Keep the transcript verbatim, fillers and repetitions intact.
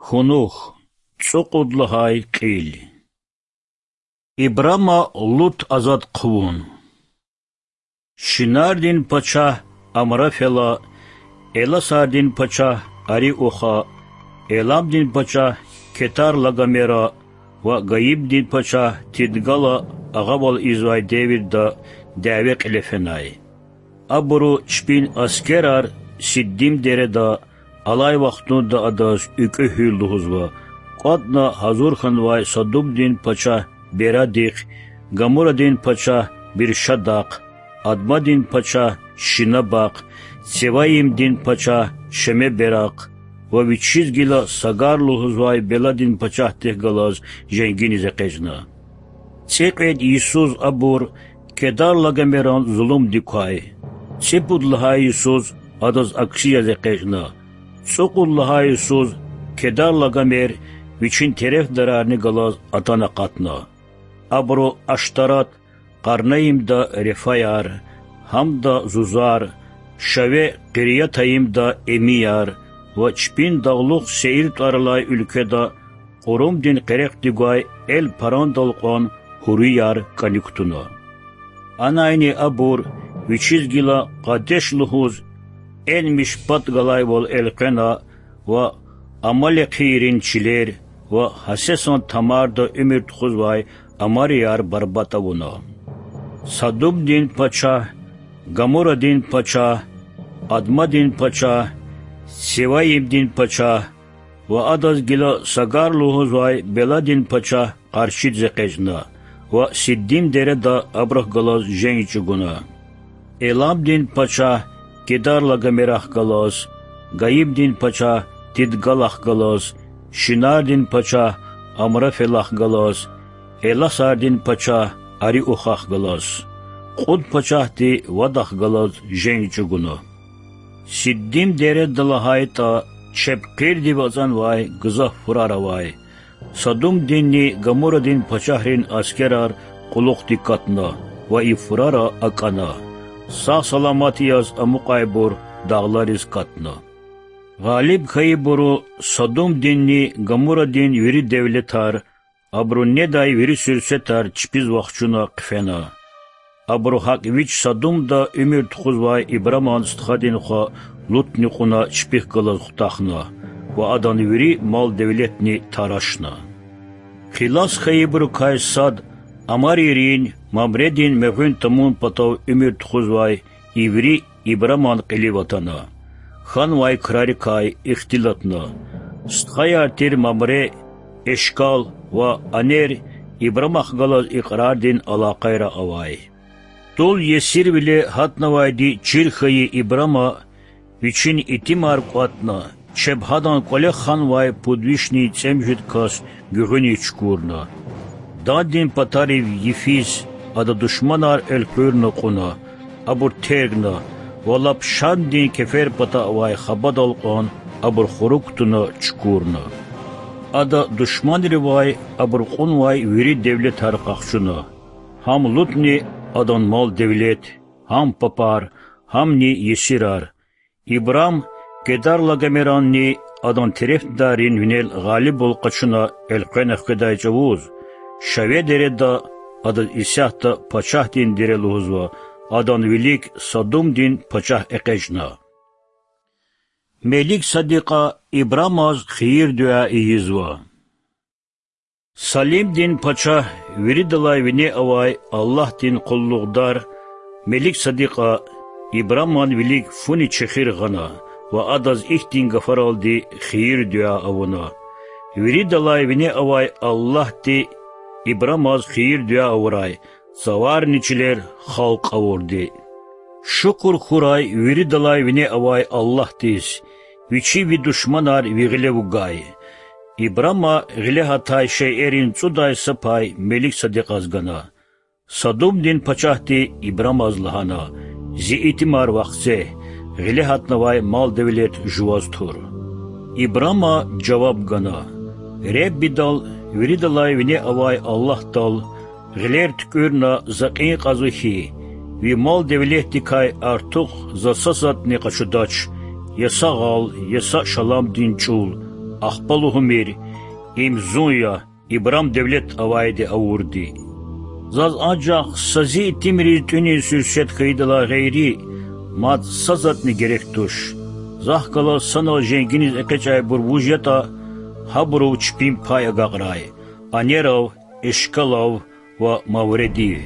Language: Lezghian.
Кунух, цӀукьуд лагьай кьил. Ибрама Лут азад хъувун. Шинардин пачагь Амрафела, эласардин пачагь Ариуха, эламдин пачагь Кетарлагомера ва гаимдин пачагь Тидгала агъавал ийизвай девирда дяве кьиле фенай. Абуру чпин аскерар Сиддим дереда, алай вахтунда адаз УькӀуь гьуьл лугьузва, кӀватӀна гьазур хьанвай Садумдин пачагь Берадихъ, Гамурадин пачагь Биршадахъ, Адмадин пачагь Шинабахъ, Цеваимдин пачагь Шемеберахъ ва вичиз гила Сагар лугьузвай Беладин пачагьдихъ галаз женгиниз экъечӀна. ЦӀикьвед йисуз абур Кедарлагомеран зулумдик квай, цӀипуд лагьай йисуз адаз акси яз экъечӀна, цӀукьуд лагьай йисуз Кедарлагомер вичин терефдарарни галаз атана акъатна. Абуру Аштарат, Къарнаимда Рефаяр, Гьамда Зузар, Шаве Къириятаимда Эмияр ва чпин дагълух Сеир тӀвар алай уьлкведа Къурумдин къерехда гвай Эл-Парандал кьван гьурияр кӀаник кутуна. Анайни абур вичиз гила Къадеш лугьуз Эн-Мишпат галайвал элкъвена ва амалекийрин чилер ва Гьасесан-Тамарда уьмуьр тухузвай амарияр барбатӀ авуна. Садумдин пачагь, Гамурадин пачагь, Адмадин пачагь, Севаимдин пачагь ва адаз гила Сагар лугьузвай Беладин пачагь къаршидиз экъечӀна ва Сиддим дереда абурухъ галаз женг чӀугуна. Эламдин пачагь Кедарлагомерахъ галаз, гаимдин пачагь Тидгалахъ галаз, шинардин пачагь Амрафелахъ галаз, эласардин пачагь Ариухахъ галаз, кьуд пачагьди вадахъ галаз женг чӀугуна. Сиддим дереда лагьайтӀа, чеб хъирдив ацӀанвай гзаф фурар авай. Садумдинни Гамурадин пачагьрин аскерар кьулухъди катна ва и фурара акӀана. Сагъ-саламат яз амукьайбур дагълариз катна. Гъалиб хьайибуру Садумдинни Гамурадин вири девлетар, абуру недай вири суьрсетар чпиз вахчуна хъфена. Абуру гьакӀ вич Садумда уьмуьр тухузвай Ибраман стхадин хва Лутни кьуна чпихъ галаз хутахна ва адан вири мал-девлетни тарашна. Хилас хьайибурукай сад амарийрин Мамредин мегъуьн тамун патав уьмуьр тухузвай иври Ибраман кьилив атана. Хьанвай крарикай ихтилатна. Стхаяр тир Мамре, Эшкал ва Анер Ибрамахъ галаз икьрардин алакъайра авай. ТӀул есирвиле гьатнавайди чир хьайи Ибрама вичин итимар кӀватӀна, чеб гьадан кӀвале ханвай пуд вишни цӀемуьжуьд кас гуьгъуьниз чукурна. Дандин патарив йифиз ада душманар элкъуьрна кьуна, абур тергна ва лап Шамдин кефер пата авай хабадал кьван абур хурук кутуна чукурна. Ада душманривай абур кьунвай вири девлетар къахчуна, гьам Лутни адан мал-девлет, гьам папар, гьамни есирар. Ибрам Кедарлагомеранни адан терефдаррин винел гъалибвал къачуна элкъвена хкведай чӀавуз, Шаве дереда адаз исятда пачагьдин дере лугьузва, адан вилик Садумдин пачагь экъечӀна. Мелик Садикьа Ибрамаз хийир-дуьа ийизва. Салимдин пачагь виридалай вине авай Аллагьдин къуллугъдар Мелик Садикьа Ибраман вилик фуни чехир гъана ва адаз ихьтин гафаралди хийир-дуьа авуна: Виридалай вине авай Аллагьди Ибрамаз хийир-дуьа авурай, цаварни чилер халкь авурди. Шукур хьурай виридалай вине авай Аллагьдиз, Вичи ви душманар ви гъиле вугай. Ибрама гъиле гьатай шейэрин цӀудай са пай Мелик Садикьаз гана. Садумдин пачагьди Ибрамаз лагьана: Зи итимар вахце, гъиле гьатнавай мал-девлет жуваз тур. Ибрама жаваб гана: Реббидал, виридалай вине авай Аллагьдал, гъилер туькӀуьрна за кьин кьазва хьи, ви мал-девлетдикай артух за са затӀни къачудач: я са гъал, я са шаламдин чӀул, Ахпа лугьумир: им зун я, ибурам девлет авайди авурди. Заз анжах са зи итимриз тӀуьниз суьрсет хьайидалай гъейри, мад са затӀни герек туш. Захъ галаз санал женгиниз экъечӀайбур вуж ятӀа, гьабурув чпин пай агакьрай: анерав, эшкалав ва мавредив.